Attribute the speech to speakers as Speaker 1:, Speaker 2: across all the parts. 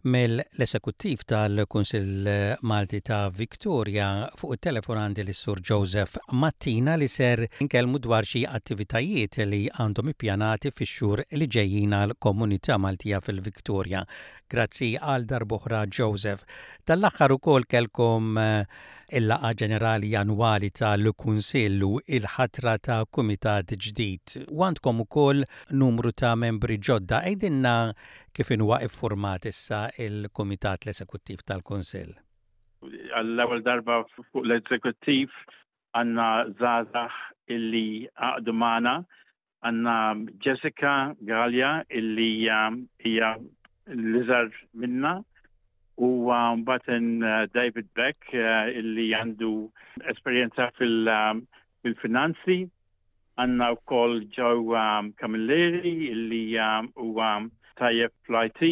Speaker 1: Mill-Esekuttiv tal-Kunsill Malti ta' Victoria fuq it-telefon għandi lis-Sur Joseph Mattina li ser inkellmu dwar xi attivitajiet li għandhom ippjanati fix-xhur li ġejjin għall-komunità Maltija fil-Victoria. Grazzi għal darb'oħra Joseph. Dal-aħħar ukoll kellkom il-laqgħa ġenerali annwali tal-Kunsill u l-ħatra ta' kumitat ġdid. U għandkom ukoll numru ta' membri ġodda. Għidilna Kif inhuwa iffurmat issa il-Kumitat l-Esekuttiv tal-Kunsill?
Speaker 2: Għall-ewwel darba fuq l-Eżekuttiv għandna żgħażagħ illi għaqdu magħna. Għandna Jessica Galea illi hija l-iżgħar minna u mbagħad David Beck illi għandu esperjenza fil-finanzi. Għandna wkoll Joe Camilleri li huwa tajjeb fl-IT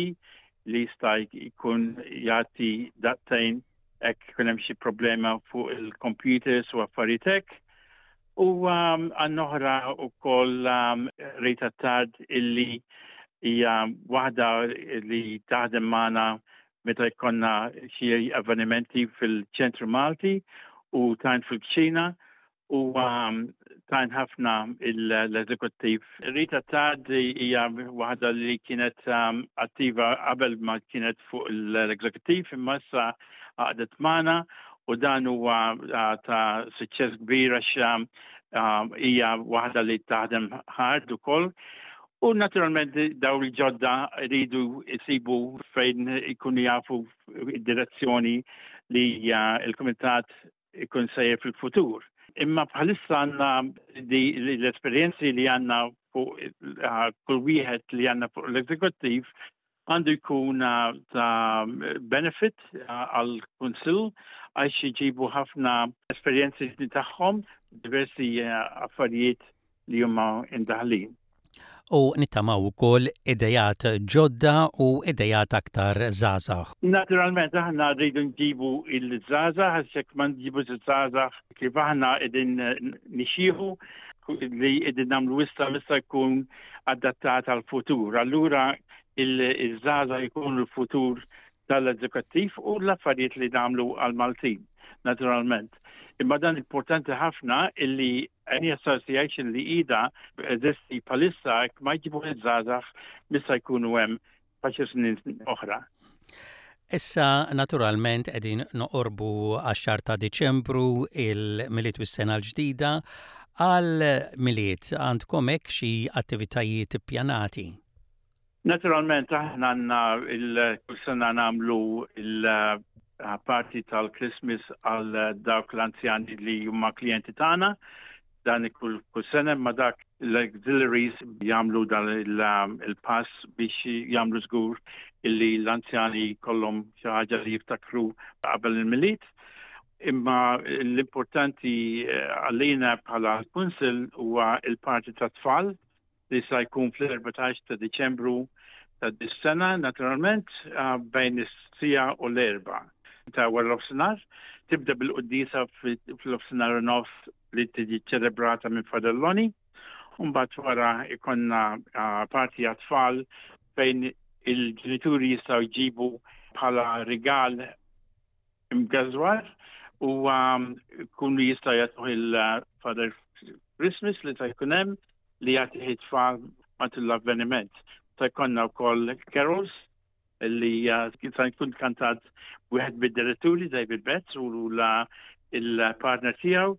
Speaker 2: li jista' jkun jagħti daqtejn hekk ikun hemm xi problema fuq il-computers u affarijiet hekk. U għandna oħra wkoll Rita Tard illi hija waħda li taħdem magħna meta jkollna xi avvenimenti fil-ċentru Malti u tajn fil-kċina u tajn ħafna l-eżekuttiv. Rita Tad hija waħda li kienet attiva qabel ma kienet fuq l-eżekuttiv imma issa għaqdet magħna u dan huwa ta' suċċess kbir għax hija waħda li taħdem hard ukoll. U naturalment daw il-ġodda rridu jsibu fejn ikunu jafu id-direzzjoni li l-kumitat ikun sejjer fil-futur. Imma bħalissa għandna l-esperjenzi li għandna fuq eh, kull wieħed li għandna fuq l-eżekuttiv għandu jkun eh, ta' benefit eh, għal kunsill għax jġibu ħafna esperjenzi tagħhom diversi affarijiet li huma indaħlin.
Speaker 1: U nittamaw ukoll idejat ġodda u idejat aktar żgħażagħ.
Speaker 2: Naturalment aħna rridu nġibu il-żgħażagħ għax jekk ma nġibux iż-żgħażagħ kif aħna qegħdin nixjieħu li qegħdin nagħmlu issa issa jkun adattat għall-futur. Allura il-żgħażagħ jkunu l-futur tal-eżekuttiv u l-affarijiet li nagħmlu għall-Maltin, naturalment. Imma dan importanti ħafna illi any association li ida eżisti palissa ma jġibu iż-żgħażagħ missa jkunu hemm faċi snin oħra.
Speaker 1: Issa naturalment qegħdin noqorbu għax-xahar ta' Diċembru il-Milied u s-sena l-ġdida. Għal Milied għandkom hekk xi attivitajiet ippjanati?
Speaker 2: Naturalment aħna għandna kull sena nagħmlu il-party tal-Christmas għal dawk l-anzjani li huma klijenti tagħna. Dan kull kull sena ma dak l-auxiliaries jagħmlu dan il-pass biex jagħmlu żgur illi l-anzjani kollhom xi ħaġa li jiftakru qabel il-Milied. Imma l-importanti eh, għalina bħala l-Kunsill huwa il-parti tat-tfal li sa jkun fl-14 ta' Diċembru ta' dis-sena, naturalment, bejn is-siegħa u l-erbgħa ta' wara nofsinhar. Tibda bil-quddiesa fl-nofsinhar u nofs li tiġi ċelebrata minn Father Lonnie. U mbagħad wara jkollna parti għat-tfal fejn il-ġenituri jistgħu jġibu bħala rigal imgażwar u kunu jista' jagħtuh il-Father Christmas li ta' jkun hemm li jagħtih it-tfal matul l-avveniment. Ta' jkollna wkoll carols li ta' jkun kantat wieħed mid-diretturi David Betts u la il-partner tiegħu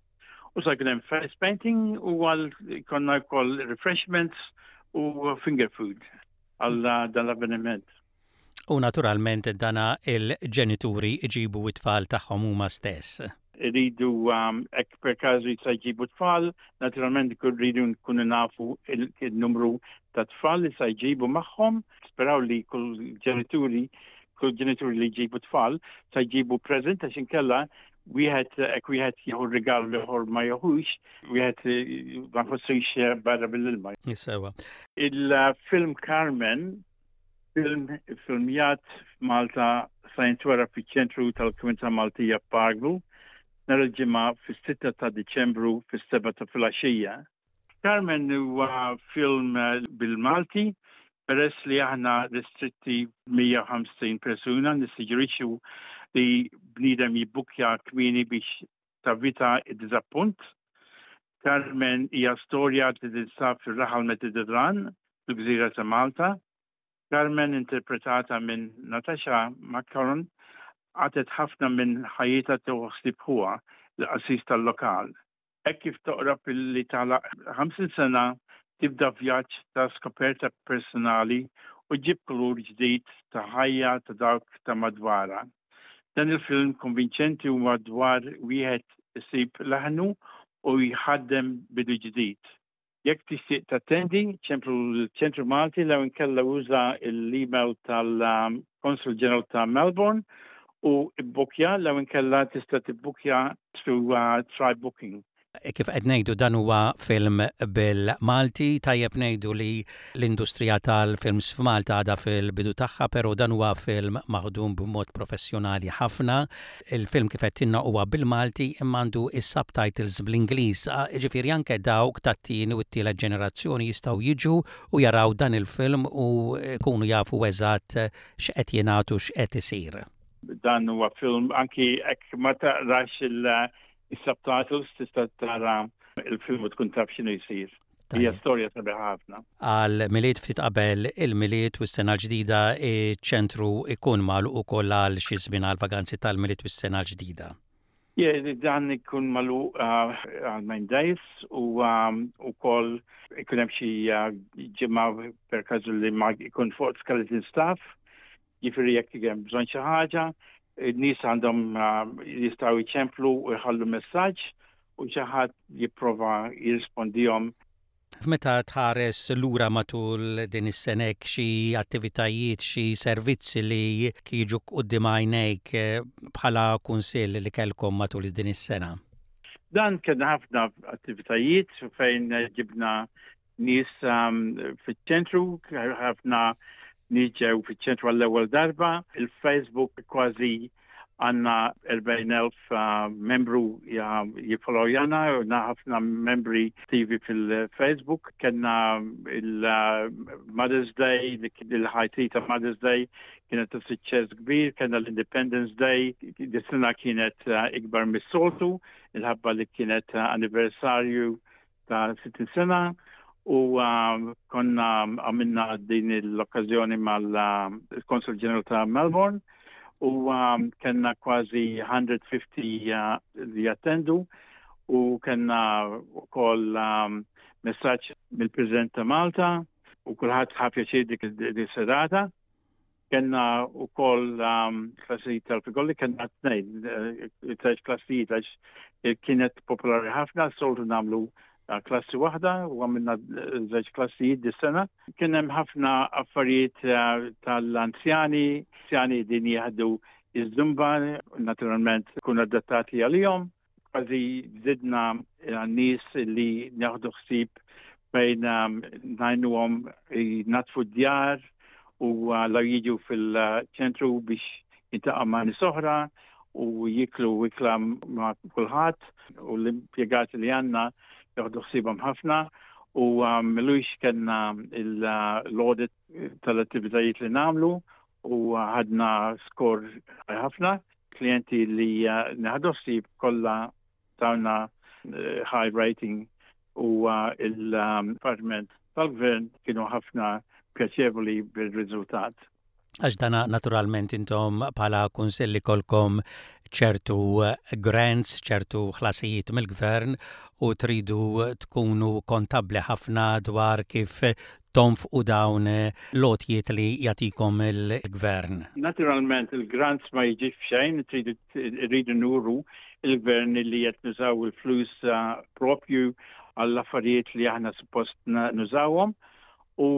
Speaker 2: u sa jkun hemm face painting u għal konna wkoll refreshments u finger food għal dan l-avveniment.
Speaker 1: U naturalment dana il-ġenituri jġibu t-tfal tagħhom huma stess.
Speaker 2: Iridu um, hekk per każu jista' jġibu tfal, naturalment rridu nkunu nafu il-numru ta' tfal li sa jġibu magħhom. Speraw li kull ġenituri kull ġenituri li jġibu tfal sa jġibu present għax inkella wieħed hekk wieħed jieħu rigal l-ieħor ma jieħux, wieħed ma jħossux barra mill-ilma.
Speaker 1: Sewa.
Speaker 2: Il-film Carmen Film iffilmjat f'Malta sa jintwera fiċ-Ċentru tal-Komunità Maltija f'Parkville nhar il-Ġimgħa fis-sitta ta' Diċembru fis-sebgħa ta' filgħaxija. Carmen huwa film bil-Malti. Peress li aħna restritti 150 persuna nissuġġerixxu li bniedem jibbukkja kmieni biex tavita d-diżappunt. Carmen hija storja li tinsab fir-raħal Mediterran fil-gżira ta' Malta. Carmen interpretata minn Natasha McCarron qatgħet ħafna minn ħajjitha tieħu ħsieb ħuha, il-qassis tal-lokal. Hekk kif toqrob li tagħlaq 50 sena tibda vjaġġ ta' skoperta personali u ġġib kulur ġdid ta' ħajja ta' dawk ta' madwarha. Dan il-film konvinċenti huwa dwar wieħed isib leħnu u jħaddem bidu ġdid. Jekk tixtieq tattendi, ċemplu l-Ċentru Malti lew inkella uża l-email tal-Consul General ta' Melbourne u bbukkja lew inkella tista' tibbukkja through Try Booking.
Speaker 1: Kif qed ngħidu dan huwa film bil-Malti, tajjeb ngħidu li l-industrija tal-films f'Malta għadha fil-bidu tagħha, però dan huwa film maħdum b'mod professjonali ħafna. Il-film kif għedtilna huwa bil-Malti imma għandu s-subtitles bl-Ingliż, jiġifieri anke dawk tat-tieni u t-tielet ġenerazzjoni jistgħu jiġu u jaraw dan il-film u jkunu jafu eżatt x'qed jingħad u x'qed isir.
Speaker 2: Dan huwa film anki jekk ma taqrax il-subtitles tista' tara il-film u tkun taf x'inhu jsir. Hija storja sabiħa ħafna.
Speaker 1: Għal Milied ftit qabel il-Milied u s-sena l-ġdida iċ-ċentru jkun magħluq ukoll għal xi żmien għal vaganzi tal-Milied u s-sena l-ġdida.
Speaker 2: Yeah, dan ikun magħluq għal nine days u wkoll ikun hemm xi ġimgħa per każu li ma jkun fuq skeleton staff, jiġifieri jekk hemm bżonn xi ħaġa, in-nies għandhom jistgħu jċemplu u jħallu messaġġ u xi ħadd jipprova jirrispondihom.
Speaker 1: Meta tħares lura matul din is-sena hekk xi attivitajiet, xi servizzi li jiġu quddiem għajnejk bħala kunsill li kellkom matul din is-sena?
Speaker 2: Dan kellna ħafna attivitajiet fejn ġibna nies fiċ-ċentru, ħafna nies ġew fiċ-ċentru għall-ewwel darba. Il-Facebook kważi għandna 40,000 membru jiffollowjana, u ħafna membri attivi fil-Facebook. Kellna il-Mother's Day, il-high tea ta' Mother's Day kienet ta' suċċess kbir, kellna l-Independence Day, dis-sena kienet ikbar mis-soltu, il-ħabba li kienet anniversarju ta' 60 sena u konna għamilna din l-okkazjoni mal-Consul General ta' Melbourne u kellna kważi 150 li jattendu u kellna wkoll messaġġ mill-President ta' Malta u kulħadd ħa pjaċir dik is-serata. Kellna wkoll klassijiet tal-figolli, kellna tnejn, tliet klassijiet għax kienet popolari ħafna, soltu nagħmlu klassi waħda u għamilna żewġ klassijiet dis-sena. Kien hemm ħafna affarijiet tal-anzjani, anzjani din jieħdu iż-zumba, naturalment kun adattati għalihom. Kważi żidna nies li nieħdu ħsieb fejn ngħinuhom jnaddfu d-djar u law jiġu fil-ċentru biex jiltaqgħu ma' nies oħra u jiklu ikla ma' kulħadd u l-impjegati li għandna joħdu ħsiebhom ħafna u m'ilux kellna l-audit tal-attivitajiet li nagħmlu u ħadna skor ħafna. Klijenti li neħdu ħsieb kollha tawna high rating u il-Department tal-Gvern kienu ħafna pjaċevoli bil-riżultat.
Speaker 1: Għax dana naturalment intom bħala kunsill ikolkom ċertu grants, ċertu ħlasijiet mill-gvern u tridu tkunu kontabbli ħafna dwar kif tonfqu dawn l-għotjiet li jagħtikom il-gvern.
Speaker 2: Naturalment il-grants ma jiġix f'xejn, irridu nuru il-gvern li qed nużaw il-flus propju għall-affarijiet li aħna suppost nużawhom u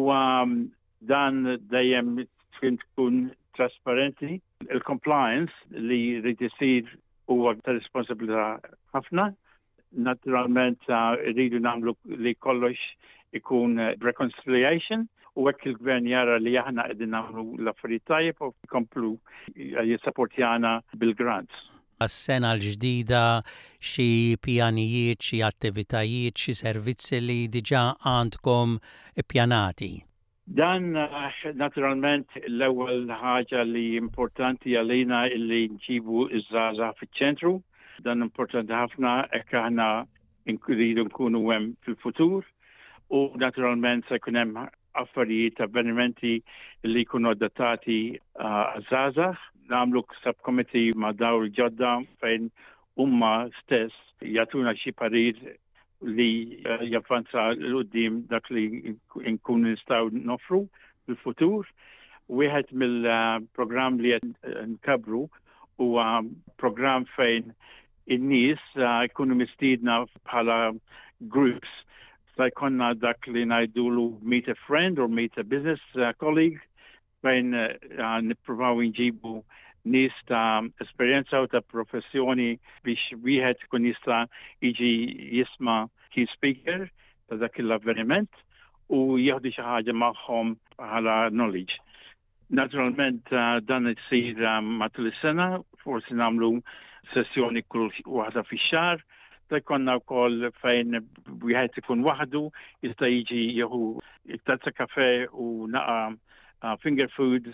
Speaker 2: dan dejjem trid tkun trasparenti. Il-compliance li jrid isir huwa ta' responsabilità ħafna. Naturalment rridu nagħmlu li kollox ikun reconciliation u hekk il-gvern jara li aħna qegħdin nagħmlu l-affarijiet tajjeb u jkomplu jissapportjana bil-grants.
Speaker 1: Għas-sena l-ġdida xi pjanijiet, xi attivitajiet, xi servizzi li diġà għandkom ippjanati?
Speaker 2: Dan naturalment l-ewwel ħaġa li importanti għalina illi nġibu iż-żgħażagħ fiċ-ċentru. Dan importanti ħafna hekk aħna nridu nkunu hemm fil-futur u naturalment se jkun hemm affarijiet, avvenimenti li jkunu adattati għaż-żgħażagħ. Nagħmlu subcommittee ma' dawl ġodda fejn huma stess jagħtuna xi parir li javvanza 'l quddiem dak li nkunu nistgħu noffru fil-futur. Wieħed mill-programm li qed nkabru huwa programm fejn in-nies jkunu mistiedna bħala groups sa jkollna dak li ngħidulu meet a friend or meet a business colleague fejn nippruvaw nġibu nies ta' esperjenza u ta' professjoni biex wieħed ikun jista' jiġi jisma' key speaker ta' dak l-avveniment u jieħdu xi ħaġa magħhom bħala knowledge. Naturalment dan isir matul is-sena, forsi nagħmlu sessjoni kull waħda fix-xahar, Se jkollna wkoll fejn wieħed ikun waħdu jista' jiġi jieħu tazza kafe u naqa finger food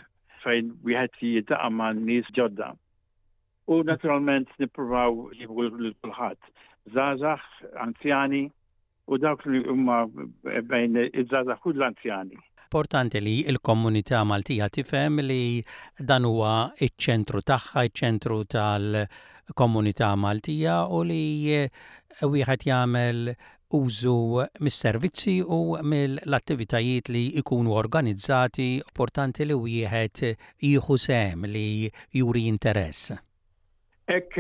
Speaker 2: fejn wieħed jiltaqa' ma' nies ġodda. U naturalment nippruvaw nġibu lil kulħadd, żgħażagħ, anzjani, u dawk li huma bejn iż-żgħażagħ u l-anzjani.
Speaker 1: Importanti li l-komunità Maltija tifhem li dan huwa ċ-ċentru tagħha, iċ-ċentru tal-komunità Maltija u li wieħed jagħmel użu mis-servizzi u mill-attivitajiet li jkunu organizzati, importanti li wieħed jieħu sehem, li juri interess.
Speaker 2: Hekk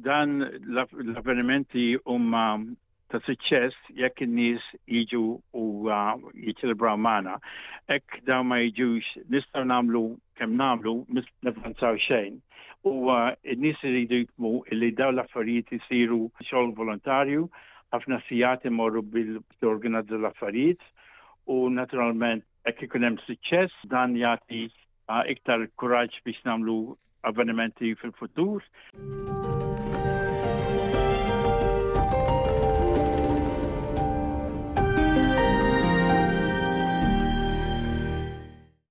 Speaker 2: dan l-avvenimenti huma ta' suċċess jekk in-nies jiġu u jiċċelebraw magħna. Hekk dawn ma jiġux nistgħu nagħmlu kemm nagħmlu mis navvanzaw xejn. U n-nies iridu jifhmu li dawn l-affarijiet isiru xogħol volontarju, ħafna sigħat imorru bil torganizza l-affarijiet u naturalment hekk ikun hemm suċċess dan jagħti iktar kuraġġ biex nagħmlu avvenimenti fil-futur.